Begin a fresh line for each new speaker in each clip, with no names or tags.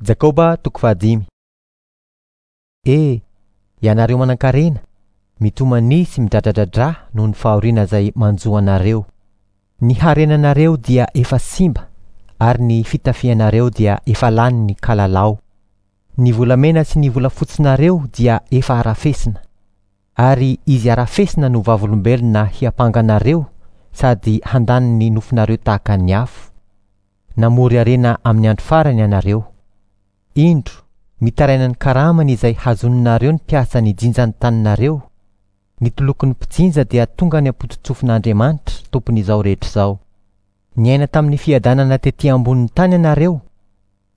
Jakoba toko fahadimy. E, ianareo manankarena, mitomania sy midradradradrà noho ny fahoriana izay manjo anareo. Ny harenanareo dia efa simba ary ny fitafianareo dia efa lanin'ny kalalao. Ny volamena sy ny volafotsinareo dia efa harafesina, ary izy harafesina no vavolombelona hiampanga anareo sady handany ny nofonareo tahaka ny afo. Namory harena amin'ny andro farany ianareo. Indro, mitaraina ny karamany izay hazoninareo ny mpiasa nijinja ny taninareo. Ny tolokon'ny mpijinja dia tonga any am-pototsofin'Andriamanitra, Tompon'izao rehetra izao. Niaina tamin'ny fiadanana tetỳ ambonin'ny tany ianareo,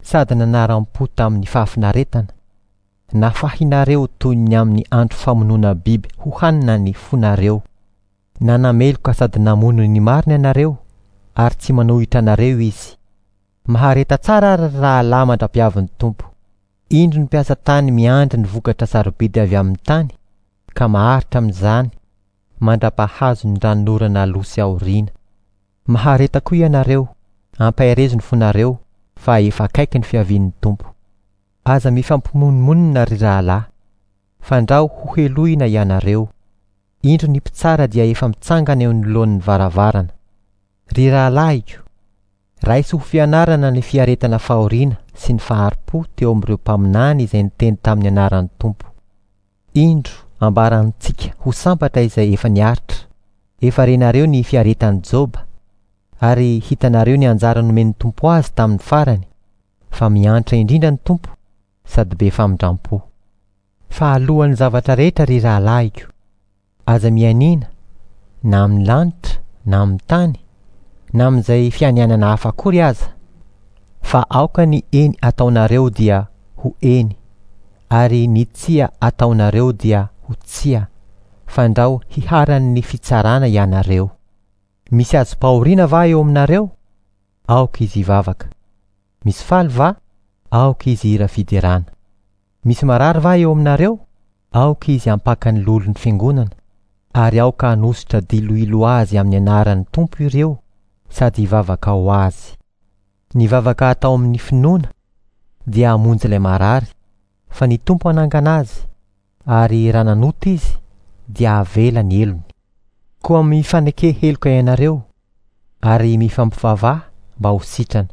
sady nanaram-po tamin'ny fahafinaretana. Nafahinareo toy ny amin'ny andro famonoana biby hohanina ny fonareo. Nanameloka sady namono ny marina ianareo, ary tsy manohitra anareo izy. Mahareta tsara ary ry rahalahy mandra-piavin'ny Tompo. Indro ny mpiasa tany miandry ny vokatra sarobidy avy amin'ny tany, ka maharitra amin'izany mandra-pahazo ny ranonorana aloha sy aoriana. Mahareta koa ianareo, ampaherezo ny fonareo, fa efa akaiky ny fiavian'ny Tompo. Aza mifampimonomonona ry rahalahy, fandrao hohelohina ianareo. Indro ny mpitsara dia efa mitsangana eo anoloan'ny varavarana. Ry rahalahiko, raiso ho fianarana ny fiaretana fahoriana sy ny fahari-po teo amin'ireo mpaminany izay niteny tamin'ny anaran'ny Tompo. Indro ambarantsika ho sambatra izay efa niaritra. Efa renareo ny fiaretan'i Joba, ary hitanareo ny anjara nomen'ny Tompo azy tamin'ny farany, fa miantra indrindra ny Tompo sady be famindram-po. Fa alohan'ny zavatra rehetra ry rahalahiko, aza mianiana na amin'ny lanitra na amin'ny tany na amin'izay fianianana hafa akory aza, fa aoka ny eny ataonareo dia ho eny, ary ny tsia ataonareo dia ho tsia, fandrao hiharan'ny fitsarana ianareo. Misy azom-pahoriana va eo aminareo? Aoka izy hivavaka. Misy faly va? Aoka izy hihira fiderana. Misy marary va eo aminareo? Aoka izy hampaka ny lolon'ny fiangonana, ary aoka hanosotra diloilo azy amin'ny anaran'ny Tompo ireo sady hivavaka ho azy. Ny vavaka atao amin'ny finoana dia hamonjy ilay marary, fa ny Tompo hanangana azy, ary raha nanota izy dia havela ny helony. Koa mifaneke heloka ianareo, ary mifampivavaha mba ho sitrana.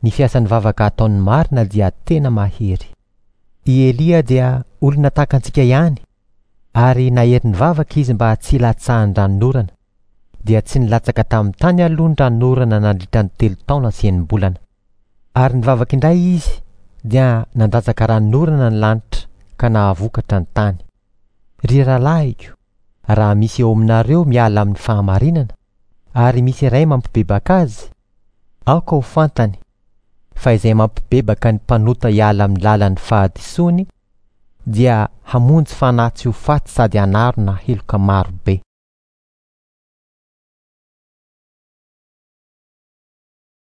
Ny fiasan'ny vavaka ataon'ny marina dia tena mahery. I Elia dia olona tahaka antsika ihany, ary nahery nivavaka izy mba tsy hilatsahan'ny ranonorana, dia tsy nilatsaka tamin'ny tany aloha ny ranonorana nandritra ny telo taona sy enim-bolana. Ary nivavaka indray izy, dia nandatsaka ranonorana ny lanitra ka nahavokatra ny tany. Ry rahalahiko, raha misy eo aminareo miala amin'ny fahamarinana, ary misy iray mampibebaka azy, aoka ho fantany fa izay mampibebaka ny mpanota hiala amin'ny lalan'ny fahadisoany dia hamonjy fanahy tsy ho faty sady hanarona heloka maro be.